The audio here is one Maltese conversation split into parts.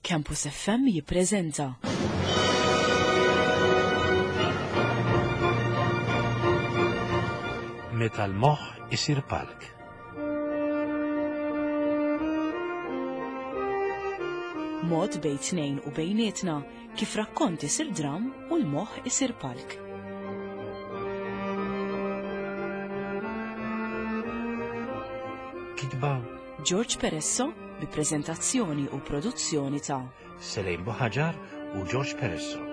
Campus FM jippreżenta. Meta l-moħħ isir palk. Mod bejn tnejn u bejnietna kif rakkont isir dram u l-moħħ isir palk. Kitba George Peresso bi preżentazzjoni u produzzjoni ta' Selejn Buħaġar u George Peresso.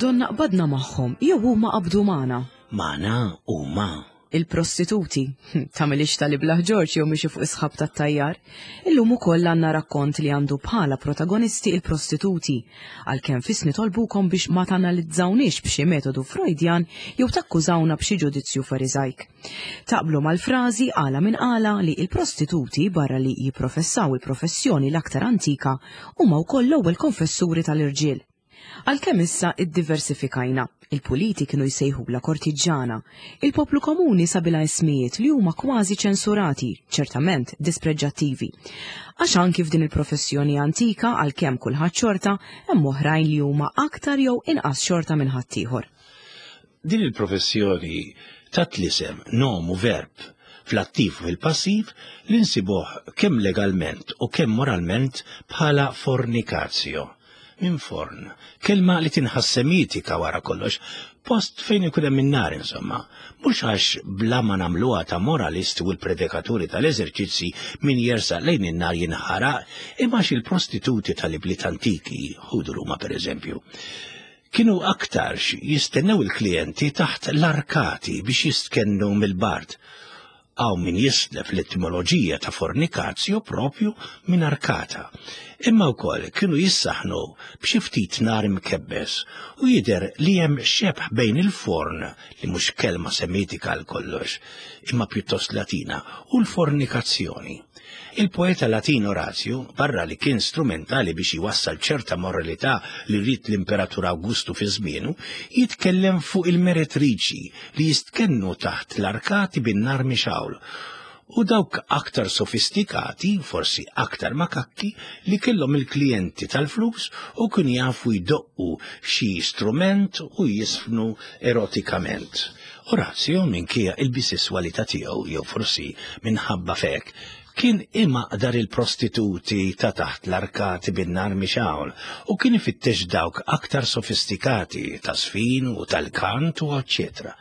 Donna qbadna magħhom jew huma qabdu magħna. Magħna huma. Il-prostituti, tagħmilix tal-iblah Ġorġ jew mixi fuq is-sħab tat-tajjar. Illum ukoll għandna rakkont li għandu bħala protagonisti il-prostituti, għalkemm fis nitolbukom biex ma tanalizzawniex b'xi metodu Freudjan jew takkużawna b'xi ġudizzju Fariżajk. Taqblu mal-frażi għala minn għala li il-prostituti barra li jipprofessaw il-professjoni l-aktar antika huma wkoll l-ewwel konfessuri tal-irġiel. Għalkemm issa iddiversifikajna, il-puliti kienu jsejħulha kortiġġana, il-poplu komuni sabilha ismijiet li huma kważi ċensurati, ċertament dispreġġattivi. Għax anki f'din il-professjoni antika, għalkemm kulħadd xorta, hemm oħrajn li huma aktar jew inqas xorta minn ħaddieħor. Din il-professjoni tat l-isem, nom u verb, fl-attiv u fil-passiv li nsibuh kemm legalment u kemm moralment bħala fornicatio. Minn forn, kelma li tinħass semitika wara kollox, post fejn ikun hemm in-nar insomma. Mhux għax bla ma nagħmluha ta' moralisti u l-predikaturi tal-eżerċizzi min jersaq lejn in-nar jinħaraq, imma għax il-prostituti tal-ibliet antiki, ħudu Ruma pereżempju, kienu aktarx jistennew il-klijenti taħt l-arkati biex jistkennu mill-bard. Hawn min jislef l-etimoloġija ta' fornicatio propju minn arkata. Imma wkoll kienu jissaħnu b'xi ftit nar imkebbes u jidher li hemm xebh bejn il-forn, li mhux kelma semitika għal kollox, imma pjuttost Latina, u l-fornikazzjoni. Il-poeta Latin Orazju, barra li kien strumentali biex iwassal ċerta moralità li ried l-Imperatur Awgustu fi żmienu, jitkellem fuq il-meretriċi li jistkennu taħt l-arkati bin-nar mixgħul u dawk aktar sofistikati, forsi aktar makakki, li kellhom il-klijenti tal-flus u kienu jafu jdoqqu xi strument u jisfnu erotikament. Orazio, minkejja il-bisesswalità tiegħu jew forsi minħabba f'hekk, kien imaqdar il-prostituti ta' taħt l-arkati bin-nar mixgħul u kien ifittex dawk aktar sofistikati ta' sfin u tal-kant u eċċetera.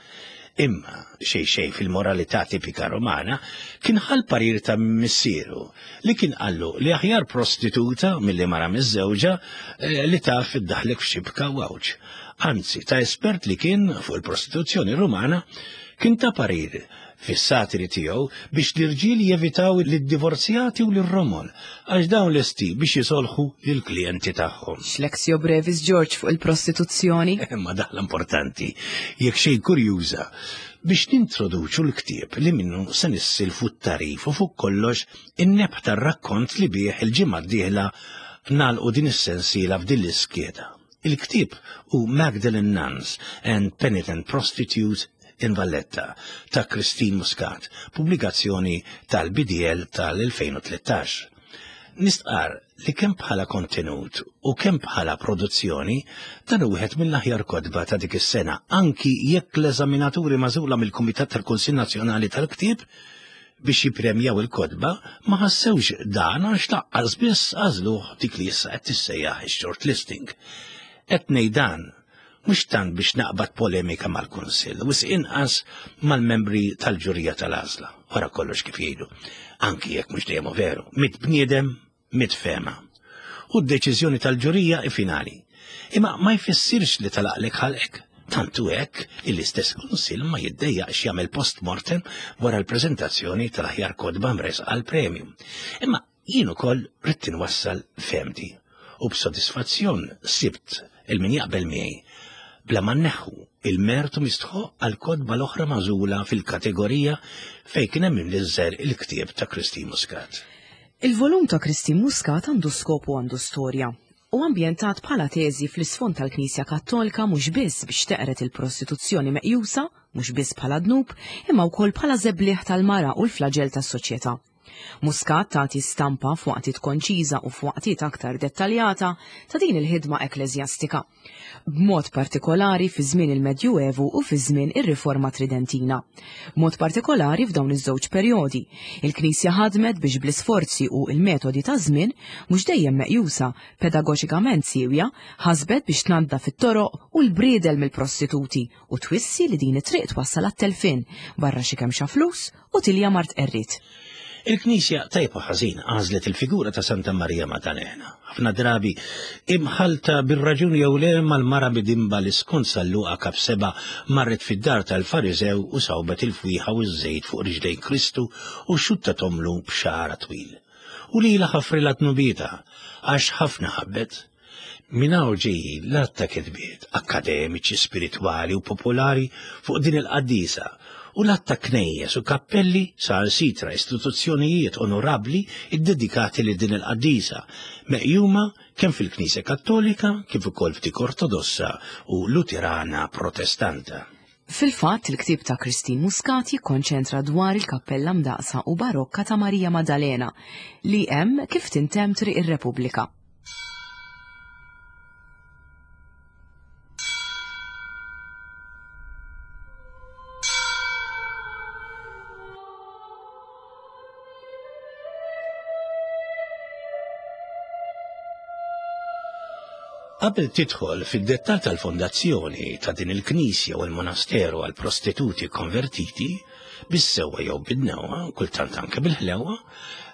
Imma, xejn xejn fil-moralità tipika Romana, kien ħa l-parir ta' missieru li kien qallu li aħjar prostituta milli mara miżżewġa eh, li taf iddaħlek f'xibka u għawġ. Anzi, ta' espert li kien fuq il-prostituzzjoni Rumana, kien ta' parir fis-satiri tiegħu biex l-irġiel jevitaw lid-divorzjati u lir-romol għax dawn lesti biex jisolħu lill-klijenti tagħhom. X'lexio brevis George fuq il-prostituzzjoni. Imma daħla importanti, jekk xejn kurjuża, biex nintroduċu l-ktieb li minnu se nissilfu t-tagħrif u fuq kollox in-nebħ tar-rakkont li bih il-ġimgħa d-dieħla nagħlqu din is-sensiela f'din l-iskeda. Il-ktieb hu Magdalene Nuns and Penitent Prostitutes in Valletta ta' Christine Muscat, pubblikazzjoni tal-BDL tal-2013. Nistqarr li kemm bħala kontenut u kemm bħala produzzjoni dan hu wieħed mill-aħjar kotba ta' dik is-sena, anki jekk l-eżaminaturi magħżula mill-Kumitat tal-Kunsill Nazzjonali tal-Ktieb biex jippremjaw il-kotba ma ħassewx dan għax laqqas biss għażluh dik li issa qed tissejjaħ ix-shortlisting. Qed ngħid dan mhux tant biex naqbad polemika mal-Kunsill, wisq inqas mal-membri tal-ġurija tal-għażla, wara kollox kif jgħidu, anki jekk mhux dejjem veru, mit bniedem, mit fehma. U d-deċiżjoni tal-ġurija hi finali. Imma ma jfissirx li talaqlek ħalqek. Tant hu hekk li l-istess Kunsill ma jiddejjaqx jagħmel post-mortem wara l-preżentazzjoni tal-aħjar kotba mressqa għall-premju. Imma jien ukoll ridt inwassal fehmti u b'sodisfazzjon sibt il min jaqbel miegħi. Bla ma nneħħu il-mertu mistħoq għal kotba l-oħra magħżula fil-kategorija fejn kien hemm imniżżel il-ktieb ta' Christine Muscat. Il-volum ta' Christine Muscat għandu skop u għandu storja. Hu ambjentat bħala teżi fl-isfond tal-Knisja Kattolika mhux biss biex teqred il-prostituzzjoni meqjusa mhux biss bħala dnub, imma wkoll bħala żebliħ tal-mara u l-flaġell tas-soċjetà. Muscat tagħti stampa f'waqtiet konċiża u f'waqtiet aktar dettaljata ta' din il-ħidma ekkleżjastika, b'mod partikolari fi żmien il-Medjuevu u fi żmien ir-Riforma Tridentina. B'mod partikolari f'dawn iż-żewġ perjodi, il-Knisja ħadmet biex bl-isforzi u l-metodi taż-żmien, mhux dejjem meqjusa pedagoġikament siewja, ħasbet biex tnaddaf it-toroq u l-briedel mill-prostituti u twissi li din it-triq twassal għat-telfien, barra xi kemxa flus u tilja mart qerried. Il-Knisja tajjeb u ħażin għażlet il-figura ta' Santa Marija Maddalena, ħafna drabi imħallta bir-raġun jew le mal-mara bidimba li skont San Luqa kap 7 marret fid-dar tal-Fariżew u sawbet il-fwieħa u ż-żejt fuq riġlejn Kristu u xuttathomlu b'xagħarha twil. U lilha ħafrilha dnubietha għax ħafna ħabbet. Minn hawn ġejjin l-għadd ta' kitbiet akkademiċi, spiritwali u popolari fuq din il-qaddisa u l-għadd ta' knejjes u kappelli saħansitra istituzzjonijiet onorabbli ddedikati lil din il-qaddisa, meqjuma kemm fil-Knisja Kattolika kif ukoll f'dik Ortodossa u Luterana Protestanta. Fil-fatt, il-ktieb ta' Christine Muscat jikkonċentra dwar il-kappella mdaqqsa u barokka ta' Marija Maddalena li hemm kif tintemm Triq ir-Repubblika. Qabel tidħol fid-dettall tal-fondazzjoni ta' din il-knisja u l-monasteru għal prostituti konvertiti, bis-sewwa jew bid-dnewwa, kultant anke bil-ħlewwa,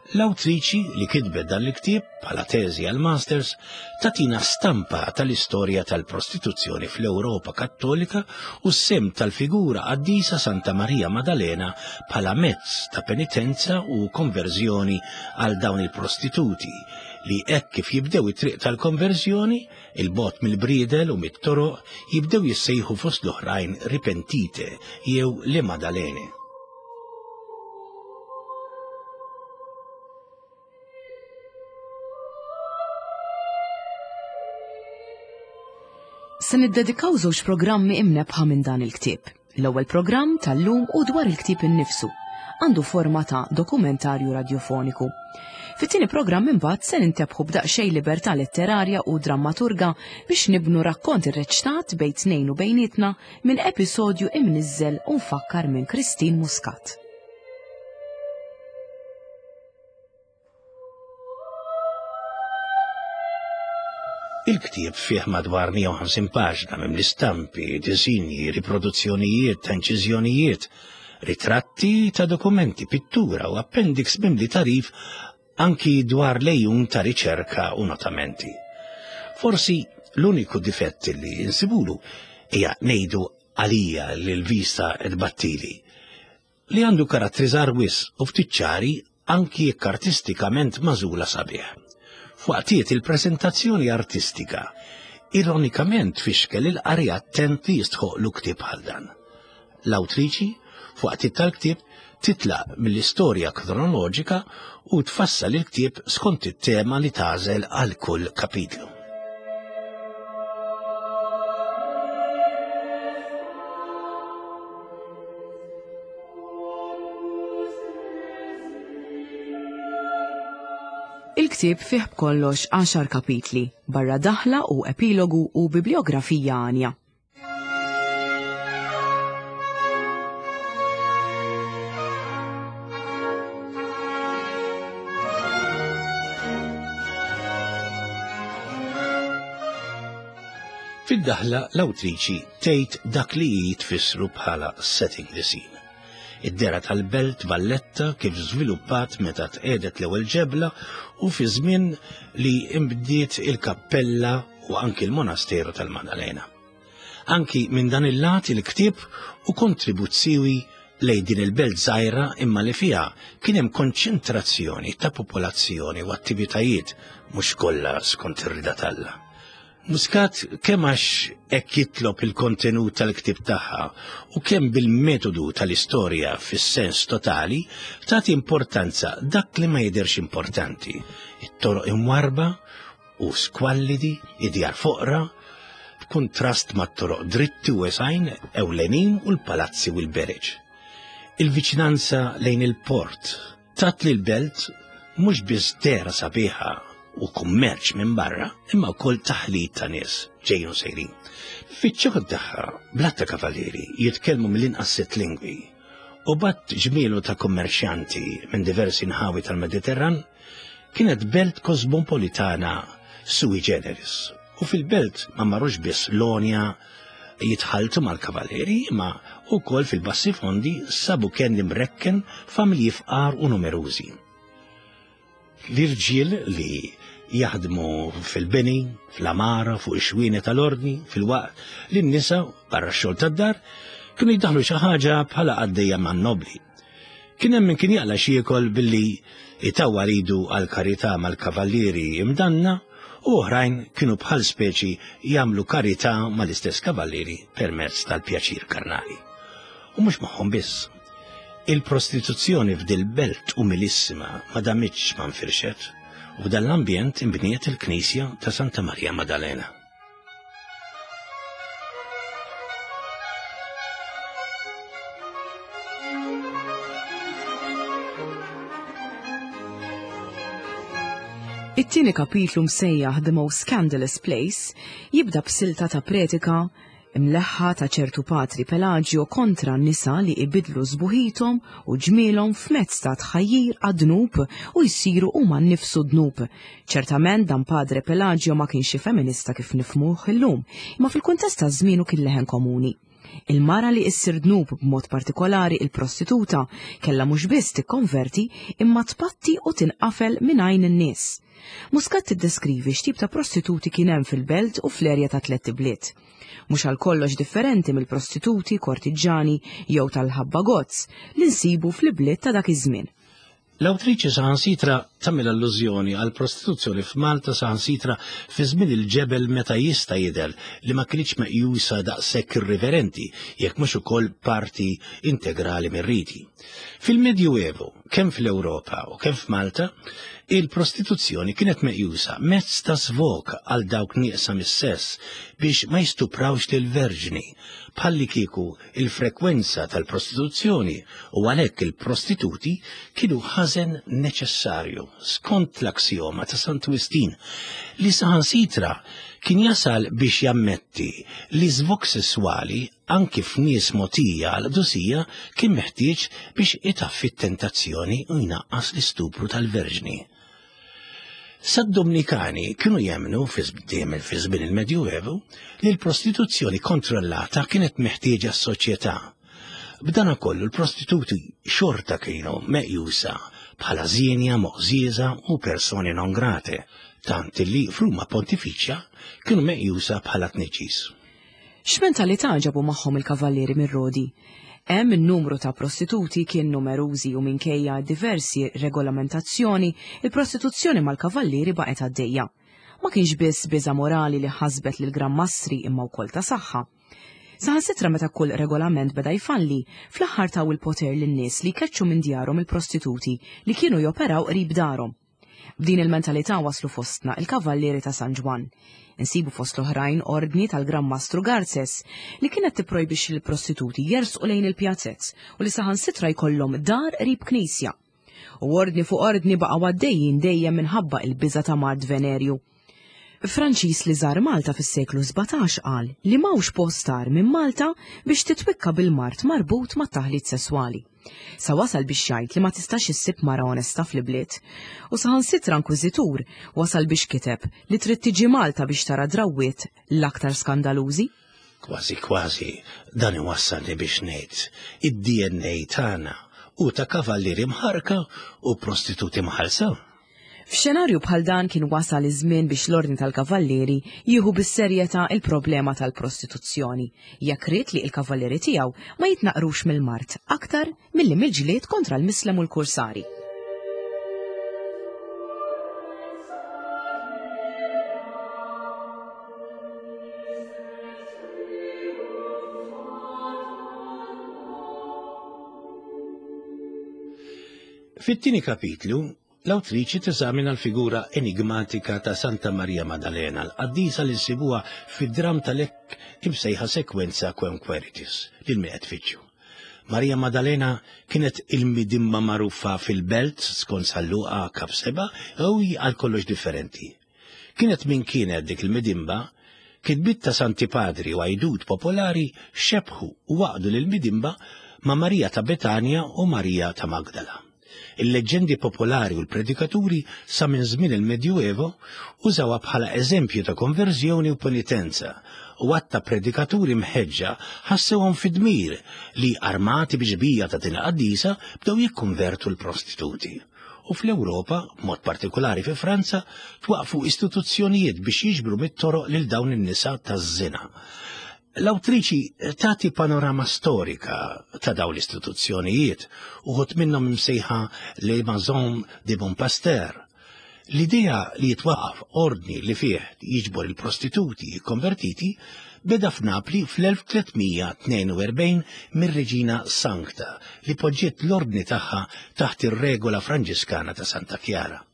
L-awtriċi li kitbet dan il-ktieb bħala teżi għall-Masters tagħtina stampa tal-istorja tal-prostituzzjoni fl-Ewropa Kattolika u s-sehem tal-figura qaddisa Santa Marija Madalena bħala mezz ta' penitenza u konverżjoni għal dawn il-prostituti li hekk kif jibdew it-triq tal-konverżjoni, 'il bogħod mill-briedel u mit-toroq, jibdew jissejħu fost l-oħrajn ripentite jew le Madalene. Se niddedikaw żewġ programmi imnebbħa minn dan il-ktieb. L-ewwel programm tal-lum hu dwar il-ktieb innifsu. Għandu forma ta' dokumentarju radjofoniku. Fit-tieni programm imbagħad se nintebħu b'daqsxejn libertà letterarja u drammaturga biex nibnu rakkont irreċtat bejn tnejn u bejnietna minn episodju imniżżel u mfakkar minn Christine Muscat. Il-ktieb fih madwar 150 paġna mimli stampi, disinji, riproduzzjonijiet ta' inċiżjonijiet, ritratti ta' dokumenti, pittura u appendix mimli tagħrif anki dwar l-għejun ta' riċerka u notamenti. Forsi l-uniku difett li insibulu hija ngħidu għalija li l-vista tbattili, li għandu karattri żgħar wisq u ftit ċari anki jekk artistikament magħżula sabiħ. F'waqtiet il-preżentazzjoni artistika ironikament tfixkel il-qari attent li jistħoqlu ktieb bħal dan. L-awtriċi, f'waqtiet tal-ktieb, titlaq mill-istorja kronoloġika u tfassal il-ktieb skont it-tema li tagħżel għal kull kapitlu. Il-ktieb fih b'kollox għaxar kapitli, barra daħla u epilogu u bibliografija għanja. Fid-daħla l-awtriċi tgħid dak li hi tfissru bħala setting the scene. Id-dehra tal-belt Valletta kif żviluppat meta tqiegħdet l-ewwel ġebla u fi żmien li nbdiet il-kappella u anki l-monasteru tal-Maddalena. Anki minn dan il-lat il-ktieb hu kontribut siewi lejn din il-belt żgħira imma li fiha kien hemm konċentrazzjoni ta' popolazzjoni u attivitajiet mhux kollha skont ir-rieda t'Alla. Muscat kemm għax hekk jitlob il-kontenut tal-ktieb tagħha u kemm bil-metodu tal-istorja fis-sens totali tagħti importanza dak li ma jidhirx importanti, it-toroq imwarrba u skwallidi, id-djar foqra, b'kuntrast mat-toroq dritti u wesgħin ewlenin u l-palazzi u l-bereġ. Il-viċinanza lejn il-port tat lill-belt mhux biss dehra sabiħa u kummerċ minn barra, imma wkoll taħlit ta' nies ġejjin u sejrin. Fiċ-ċokon tagħha, blatta kavallieri jitkellmu mill-inqas sitt lingwi u bat ġmielu ta' kummerċjanti minn diversi nħawi tal-Mediterran, kienet belt kosmopolitana sui generis. U fil-belt ma marrux biss l-għonja jitħalltu mal-kavallieri imma wkoll fil-bassi fondi sabu kenn imrekken familji fqar u numerużi. L-irġiel li jaħdmu fil-bini, fl-għamara, fuq ix-xwieni tal-ordni, filwaqt li n-nisa barra x-xogħol tad-dar kienu jdaħlu xi ħaġa bħala qaddejja man-nobbli. Kien hemm min kien jaqla' x'jiekol billi jtawwal idu għall-karità mal-kavallieri imdanna u oħrajn kienu bħal speċi jagħmlu karità mal-istess kavallieri permezz tal-pjaċir karnali. U mhux magħhom biss. Il-prostituzzjoni f'dil-belt umilissima ma damitx ma nfirxet u f'dan l-ambjent inbniet il-knisja ta' Santa Marija Madalena. It-tieni kapitlu msejjaħ The Most Scandalous Place jibda b'silta ta' pretika Imleħħa ta' ċertu Patri Pelagio kontra n-nisa li ibiddlu sbuħithom u ġmielhom f'mezz ta' tħajjir għad-dnub u jsiru huma nnifsu dnub. Ċertament dan Padre Pelagio ma kienx xi feminista kif nifhmuh illum, imma fil-kuntest ta' żmienu kien leħen komuni. Il-mara li issir dnub b'mod partikolari il-prostituta kellha mhux biss tikkonverti imma tpatti u tinqafel minn għajn in-nies. Muscat tiddeskrivi x'tip ta' prostituti kien hemm fil-belt u fl-erja ta' Tlett Ibliet. Mhux għal kollox differenti mill-prostituti kortiġġani jew tal-ħabba gozz li nsibu fl-ibliet ta' dak iż-żmien. L-awtriċi saħansitra tagħmel allużjoni għall-prostituzzjoni f'Malta saħansitra fi żmien il-ġebel meta jista' jidher li ma kinitx meqjusa daqshekk irriverenti jekk mhux ukoll parti integrali mir-riti. Fil-Medjuevu, kemm fl-Ewropa u kemm f'Malta, il-prostituzzjoni kienet meqjusa mezz ta' svog għal dawk nieqsa mis-sess biex ma jistuprawx lill-verġni, bħallikieku il-frekwenza tal-prostituzzjoni u għalhekk il-prostituti kienu ħażen neċessarju, skont l-aksjoma ta' Santu Wistin, li saħansitra kien jasal biex jammetti li żvog sesswali anki f'nies mogħtija għall-qdusija kien meħtieġ biex itaffi t-tentazzjoni u jnaqqas l-istupru tal-verġni. Sad-Dumnikani kienu jemmnu fi żmien il-Medjuevu li l-prostituzzjoni kontrollata kienet meħtieġa s-soċjetà. B'dana kollu l-prostituti xorta kienu meqjusa bħala żienja, moqżieża u persone non grate, tant li f'Ruma Pontifiċja kienu meqjusa bħala tniġġis. X'mentalità ġabu magħhom il-kavallieri mir-Rodi? Hemm in-numru ta' prostituti kien numerużi u minkejja diversi regolamentazzjoni, il-prostituzzjoni mal-kavallieri baqgħet għaddejja. Ma kienx biss biża' morali li ħasbet lill-Gran Mastri imma wkoll ta' saħħa. Saħansitra meta kull regolament beda jfalli, fl-aħħar taw il-poter lin-nies li jkeċċu minn djarhom il-prostituti li kienu joperaw qrib darhom. B'din il-mentalità waslu fostna il-Kavallieri ta' San Ġwann. Insibu fost l-oħrajn ordni tal-Gran Mastru Garces li kienet tipprojbixxi lill-prostituti jersqu lejn il-pjazez u li saħansitra jkollhom dar qrib knisja. U ordni fuq ordni baqgħu għaddejjin dejjem minħabba il-biża' ta' mard venerju. Franċiż li żar Malta fis-seklu 17 qal li m'hawnx post agħar minn Malta biex titwikka bil-mard marbut mat-taħlit sesswali. Sa wasal biex jgħid li ma tistax issib mara onesta fl-ibliet. U saħansitra inkwiżitur wasal biex kiteb li trid tiġi Malta biex tara drawwiet l-aktar skandalużi. Kważi kważi dan iwassalni biex ngħid id-DNA tagħna hu ta' kavallieri mħarrka u prostituti mħallsa. F'xenarju bħal dan kien wasal iż-żmien biex l-Ordni tal-Kavallieri jieħu bis-serjetà il-problema tal-prostituzzjoni, jekk ried li l-kavallieri tiegħu ma jitnaqqrux mill-mard aktar milli mill-ġlied kontra l-Mislem u l-Kursari. Fit-tieni kapitlu, l-awtriċi teżamina l-figura enigmatika ta' Santa Maria Maddalena, l-qaddisa li nsibuha fid-dramm tal-hekk imsejħa sekwenza Quem Queritis, lil min qed tfittxu. Maria Maddalena kienet il-midimma magħrufa fil-belt skont San Luqa kap 7 u hi għal kollox differenti. Kienet min kienet dik il-midimba, kitbiet ta' Santi Padri u għajdut popolari xebbħu u għaqdu lill-midimba ma' Marija ta' Betanja u Marija ta' Magdala. Il-leġġendi popolari u l-predikaturi sa minn żmien il-Medjuevo użawha bħala eżempju ta' konverżjoni u penitenza u għadd ta' predikaturi mħeġġa ħassewhom fid-dmir li armati bi xbieha ta' din il-qaddisa bdew jikkonvertu l-prostituti. U fl-Ewropa, b'mod partikulari fi Franza, twaqqfu istituzzjonijiet biex jiġbru mit-toroq lil dawn in-nisa taż-żina. L-awtriċi tagħti panorama storika ta' dawn l-istituzzjonijiet, uħud minnhom imsejħa Les Maisons de Bon Pasteur. L-idea li jitwaqqaf ordni li fih jiġbor il-prostituti konvertiti beda f'Napli fl-1342 mir-Reġina Sancta li poġġiet l-ordni tagħha taħt ir-regola Franġiskana ta' Santa Chiara.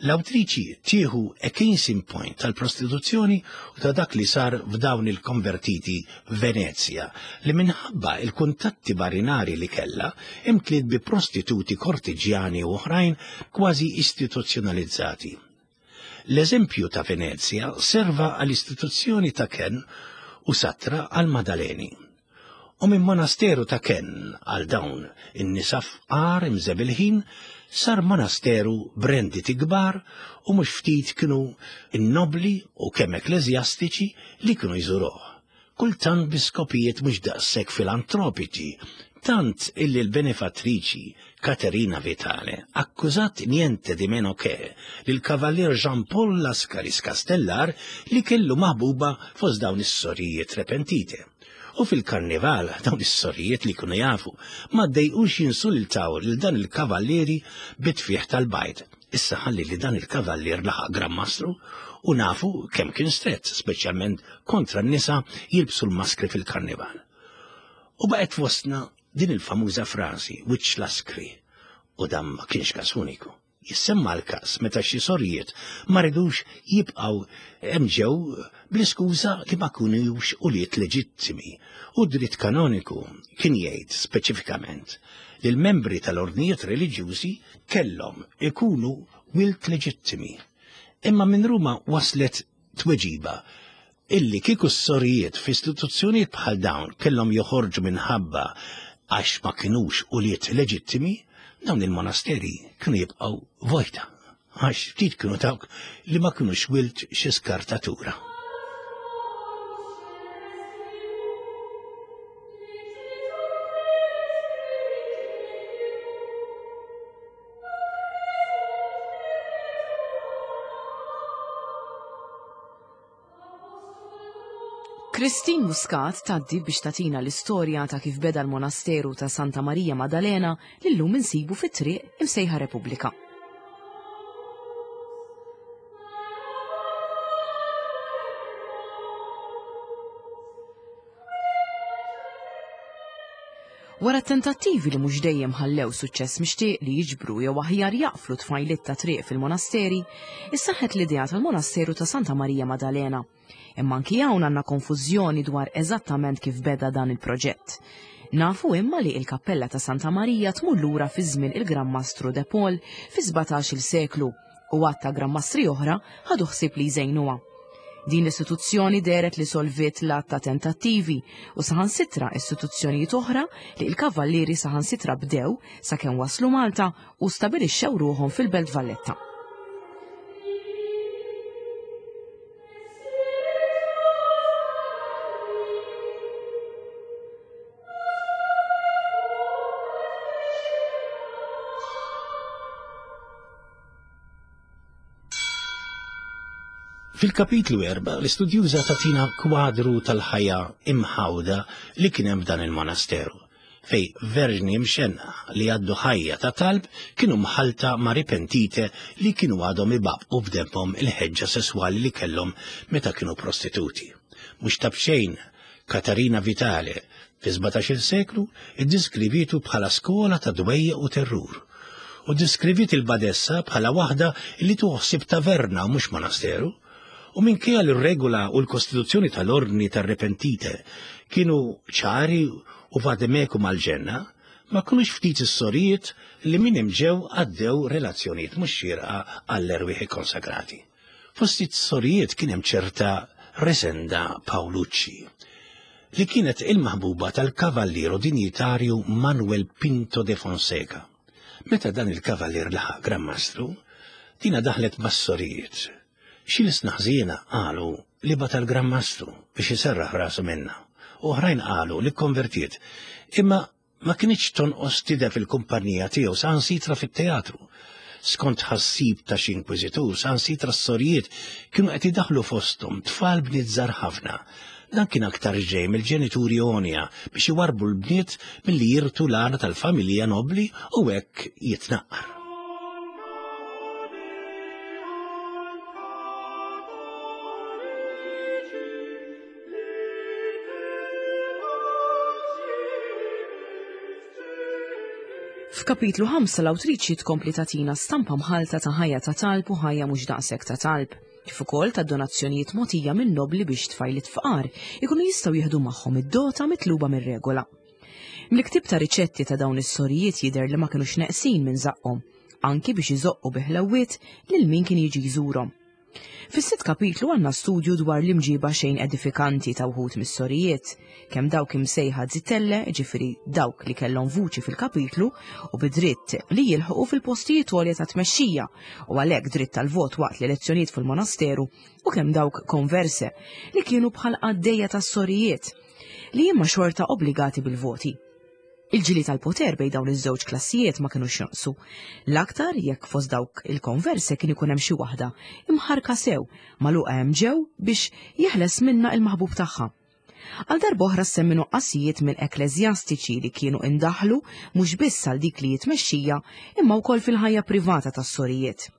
L-awtriċi tieħu a case in point tal-prostituzzjoni u ta' dak li sar f'dawn il-konvertiti f'Venezja li minħabba il-kuntatti marinari li kellha imtliet bi prostituti kortiġjani u oħrajn kważi istituzzjonalizzati. L-eżempju ta' Venezja serva għall-istituzzjoni ta' Ken u Satra għal Madaleni. U minn monasteru ta' kenn għal dawn in-nisa fqar imżebilħin sar monasteru b'renditi kbar u mhux ftit kienu n-nobbli u kemm ekkleżjastiċi li kienu jżuruh, kultant bi skopijiet mhux daqshekk filantropiċi, tant illi l-benefattriċi Caterina Vitale akkużat niente di meno che lill-Kavallier Jean Paul Lascaris Castellar li kellu maħbuba fost dawn is-sorijiet repentite. U fil-karnival, dawn is-sorijiet li jkunu jafu, ma ddejqux jinsultaw lil dan il-kavallieri bit-tfieħ tal-bajd. Issa ħalli li dan il-kavallier laħaq Gran Mastru u nafu kemm kien strett, speċjalment kontra n-nisa jilbsu l-maskri fil-karnival. U baqgħet fostna din il-famuża frażi, wiċċ laskri, u dan ma kienx każ uniku. Jissemma l-każ meta xi sorijiet ma ridux jibqgħu hemm ġew bl-iskuża li ma kinux ulied leġittimi u d-dritt kanoniku kien jgħid speċifikament li l-membri tal-ordnijiet reliġjużi kellhom ikunu wild leġittimi. Imma minn Ruma waslet tweġiba illi kieku s-sorijiet f'istituzzjonijiet bħal dawn kellhom joħorġu minħabba għax ma kinux ulied leġittimi, dawn il-monasteri kienu jibqgħu vojta għax ftit kienu dawk li ma kinux wild xi skartatura. Christine Muscat tgħaddi biex tagħtina l-istorja ta' kif beda l-monasteru ta' Santa Marija Madalena li llum insibu fit-triq imsejħa Repubblika. Wara tentattivi li mhux dejjem ħallew suċċess mixtieq li jiġbru jew aħjar jaqflu tfajliet ta' triq fil-monasteri, issaħħet l-idea tal-monasteru ta' Santa Marija Madalena. Imma anki hawn għandna konfużjoni dwar eżattament kif beda dan il-proġett. Nafu imma li il-kappella ta' Santa Marija tmur lura fi żmien il-Gran Mastru De Paul fi 17-il seklu u għadd ta' Gran Mastri oħra ħadu ħsieb li jżejnuha. Din l-istituzzjoni dehret li solviet l-għadd ta' tentattivi u saħansitra istituzzjonijiet oħra li l-Kavallieri saħansitra bdew sakemm waslu Malta u stabilixxew ruħhom fil-Belt Valletta. Fil-kapitlu 4 l-istudjuża tagħtina kwadru tal-ħajja imħawda li kien hemm f'dan il-monasteru, fej verġni mxenna li għaddu ħajja ta' talb kienu mħalta ma' ripentite li kienu għadhom ibabqu f'demmhom il-ħeġġa sesswali li kellhom meta kienu prostituti. Mhux ta' b'xejn Katarina Vitale fi 17-il seklu iddiskrivietu bħala skola ta' dwejjaq u terrur. u ddiskriviet il-badessa bħala waħda li tieħu ħsieb taverna u mhux monasteru. U minkejja li r-regola u l-kostituzzjoni tal-Ordni tar-Repentite kienu ċari u vademekum għall-ġenna, ma kinux ftit is-sorijiet li minn hemm ġew għaddew relazzjonijiet mhux xierqa għall-erwieħ ikkonsagrati. Fost is-sorijiet kien hemm ċerta Resenda Paolucci, li kienet il-maħbuba tal-kavalliero dinjitarju Manuel Pinto de Fonseca. Meta dan il-kavallier laħaq Gran Mastru, dina daħlet mas-sorijiet. Xi lsna ħżiena qalu li bagħatha l-Gran Mastru biex iserraħ rasu minnha, u oħrajn qalu li kkonvertiet, imma ma kinitx tonqos tidher fil-kumpanija tiegħu saħansitra fit-teatru. Skont tħassib ta' xi inkwiżitur, saħansitra s-sorijiet kienu qed idaħħlu fosthom tfal bniet żgħar ħafna. Dan kien aktarx ġej mill-ġenituri għonja biex iwarrbu l-bniet milli jirtu l-għana tal-familja nobbli u hekk jitnaqqar. F'kapitlu 5 l-awtriċi tkompli tagħtina stampa mħalta ta' ħajja ta' talb u ħajja mhux daqshekk ta' talb, kif ukoll ta' donazzjonijiet mogħtija minn nobbli biex tfajliet fqar ikunu jistgħu jieħdu magħhom id-dota mitluba mir-regola. Mill-ktieb ta' riċetti ta' dawn is-sorijiet jidher li ma kinux neqsin minn żaqqhom, anki biex iżoqqu bi ħlewwiet lil min kien jiġi jżurhom. Fis-sitt kapitlu għandna studju dwar l-imġiba xejn edifikanti ta' wħud mis-sorijiet, kemm dawk imsejħa zitelle, ġifieri dawk li kellhom vuċi fil-kapitlu u bi dritt li jilħqu fil-postijiet għolja ta' tmexxija u għalhekk dritt tal-vot waqt l-elezzjonijiet fil-monasteru, u kemm dawk konverse li kienu bħal qaddejja tas-sorijiet li imma xorta obbligati bil-voti. Il-ġlied għall-poter bejn dawn iż-żewġ klassijiet ma kinux jonqsu. L-aktar jekk fost dawk il-konverse kien ikun hemm xi waħda imħarrka sew, magħluqa hemm ġew biex jeħles minnha il-maħbub tagħha. Għal darb'oħra ssemmi nuqqasijiet minn ekkleżjastiċi li kienu indaħlu mhux biss għal dik li hi tmexxija imma wkoll fil-ħajja privata tas-sorijiet.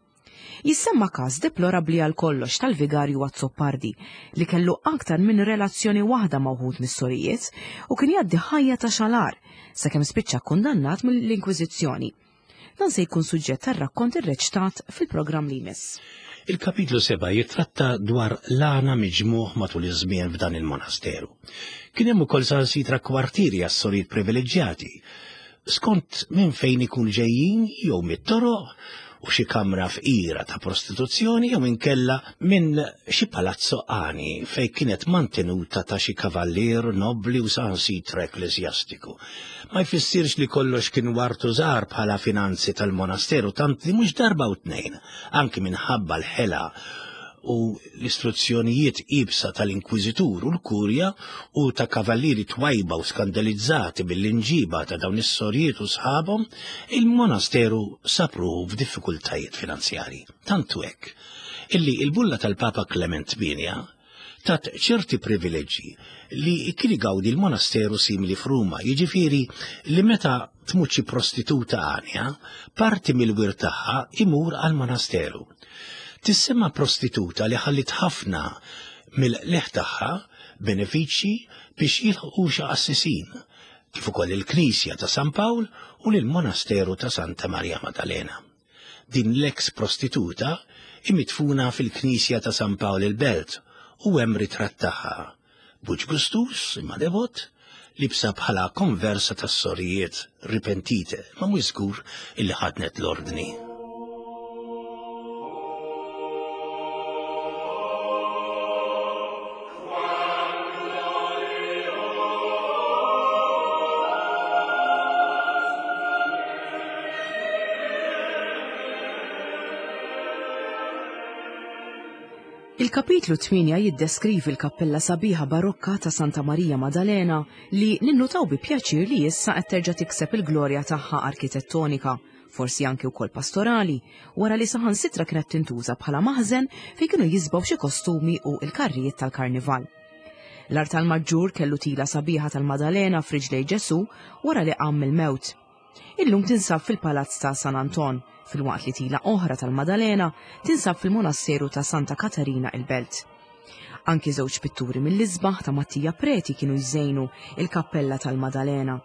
Jissemma każ deplorabbli għal kollox tal-Vigarju Azzopardi li kellu aktar minn relazzjoni waħda ma' wħud mis-sorijiet u kien jgħaddi ħajja ta' xalar sakemm spiċċa kkundannat mill-Inkwiżizzjoni. Dan se jkun suġġett tar-rakkont irreċtat fil-programm li jmiss. Il-kapitlu 7 jittratta dwar l-għana miġmugħ matul iż-żmien f'dan il-monasteru. Kien hemm ukoll saħansitra kwartieri għas-sorijiet privileġġjati skont minn fejn ikun ġejjin jew mit-toroq u xi kamra fqira ta' prostituzzjoni jew inkella minn xi palazzo għani fejn kienet mantenuta ta' xi kavallier nobbli u saħansitra ekkleżjastiku. Ma jfissirx li kollox kien wartu żgħar bħala finanzi tal-monasteru tant li mhux darba u tnejn, anki minħabba l-ħela u l-istruzzjonijiet iebsa tal-Inkwiżitur u l-Kurja u ta' kavallieri twajba u skandalizzati mill-imġiba ta' dawn is-sorijiet u sħabhom, il-monasteru sab ruħu f'diffikultajiet finanzjarji. Tant hu hekk illi l-bulla tal-Papa Klement Tmienja tat ċerti privileġġi li kien igawdi l-monasteru simili f'Ruma, jiġifieri li meta tmut xi prostituta għanja, parti mill-wirt tagħha imur għall-monasteru. Tissemma prostituta li ħalliet ħafna mill-qligħ tagħha benefiċċji biex jilħqu xi qassisin, kif ukoll il-Knisja ta' San Pawl u lill-Monasteru ta' Santa Marja Madalena. Din l-eks prostituta hi midfuna fil-Knisja ta' San Pawl il-Belt u hemm ritratt tagħha, b'wiċċ gustuż imma devot, libsa bħala konversa tas-sorijiet ripentite, ma mhux żgur illi ħadnet l-ordni. Il-kapitlu 8 jiddeskrivi l-kappella sabiħa barokka ta' Santa Marija Madalena li ninnutaw bi pjaċir li issa qed terġa' tikseb il-glorja tagħha arkitettonika, forsi anki wkoll pastorali, wara li saħansitra kienet tintuża bħala maħżen fejn kienu jisbgħu xi kostumi u l-karrijiet tal-karnival. L-artal maġġur kellu tila sabiħa tal-Madalena f'riġlej Ġesù wara li qam mill-mewt. Illum tinsab fil-Palazz ta' San Anton, filwaqt li tila oħra tal-Madalena tinsab fil-Monasteru ta' Santa Katarina il-Belt. Anki żewġ pitturi mill-isbaħ ta' Mattia Preti kienu jżejnu il-kappella tal-Madalena.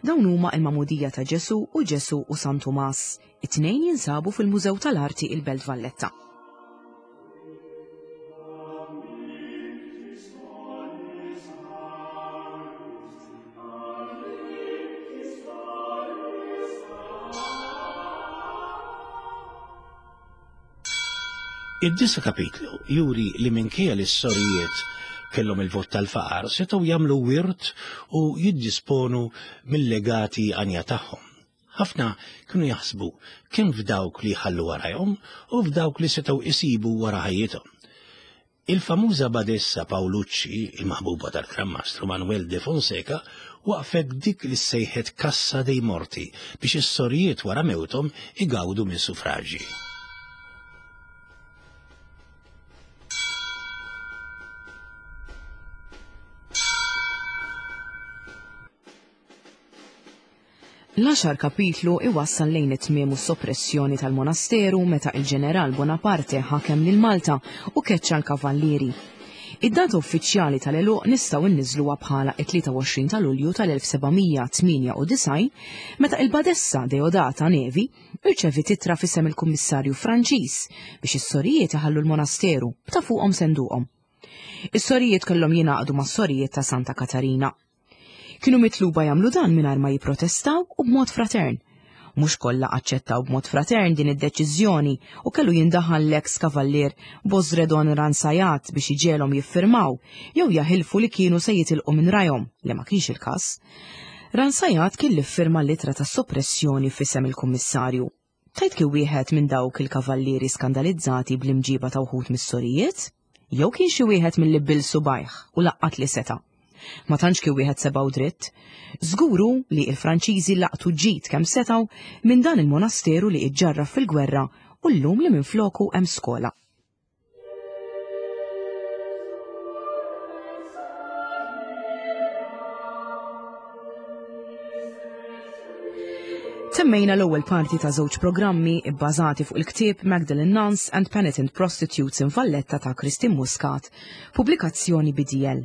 Dawn huma il-Magħmudija ta' Ġesù u Ġesù u San Tumas. It-tnejn jinsabu fil-Mużew tal-Arti il-Belt Valletta. Id-disa' kapitlu juri li minkejja li s-sorijiet kellhom il-vot tal-faqar setgħu jagħmlu wirt u jiddisponu mill-legati għanja tagħhom. Ħafna kienu jaħsbu kemm f'dawk li jħallu warajhom u f'dawk li setgħu isibu wara ħajjithom. Il-famuża badessa Paolucci, il-maħbuba tal-Gran Mastru Manuel de Fonseca, waqqfet dik li ssejħet Cassa dei Morti biex is-sorijiet wara mewthom igawdu minn suffraġġi. L-għaxar kapitlu iwassal lejn it-tmiem u s-soppressjoni tal-monasteru meta il-ġeneral Bonaparte ħakem lil Malta u keċċa l-kavallieri. Id-data uffiċjali tal-għeluq nistgħu nniżżluha bħala t-23 ta' Lulju tal-1798 meta il-Badessa Deodata Nevi irċeviet ittra f'isem il-Kummissarju Franċiż biex is-sorijiet iħallu l-monasteru b'ta' fuqhom senduqhom. Is-sorijiet kellhom jingħaqdu mas-sorijiet ta' Santa Katarina. Kienu mitluba jagħmlu dan mingħajr ma jipprotestaw u b'mod fratern. Mhux kollha aċċettaw b'mod fratern din id-deċiżjoni u kellu jindaħal l-eks kavallier Bosredon Ransajat biex iġegħelhom jiffirmaw jew jaħilfu li kienu se jitilqu minn rajhom, li ma kienx il-każ. Ransajat kien li ffirma l-ittra ta' soppressjoni f'isem il-kummissarju. Tgħid kien wieħed minn dawk il-kavallieri skandalizzati bl-imġiba ta' wħud mis-sorijiet? Jew kien xi wieħed milli bil subajh u laqqat li seta'? Ma tantx kien wieħed seba' u dritt. Żgur hu li l-Franċiżi laqtu ġid kemm setgħu minn dan il-monasteru li iġġarraf fil-gwerra u llum li minfloku hemm skola. Temmejna l-ewwel parti ta' żewġ programmi bbażati fuq il-ktieb Magdalene Nuns and Penitent Prostitutes in Valletta ta' Christine Muscat, pubblikazzjoni BDL.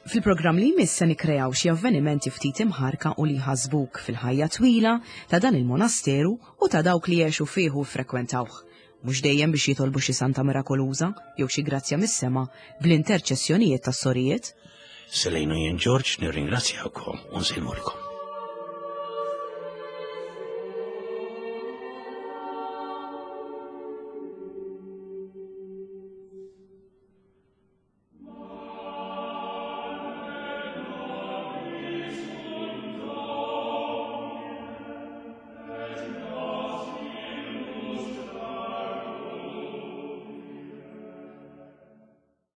Fil-programm li jmiss se nikkreaw xi avvenimenti ftit imħarka u li jħassbuk fil-ħajja twila ta' dan il-monasteru u ta' dawk li għexu fih u ffrekwentawh. Mhux dejjem biex jitolbu xi santa mirakoluża jew xi grazzja mis-sema bl-interċessjonijiet tas-sorijiet. Selejn u jien Ġorġ nirringrazzjawkom u nsellmulkom.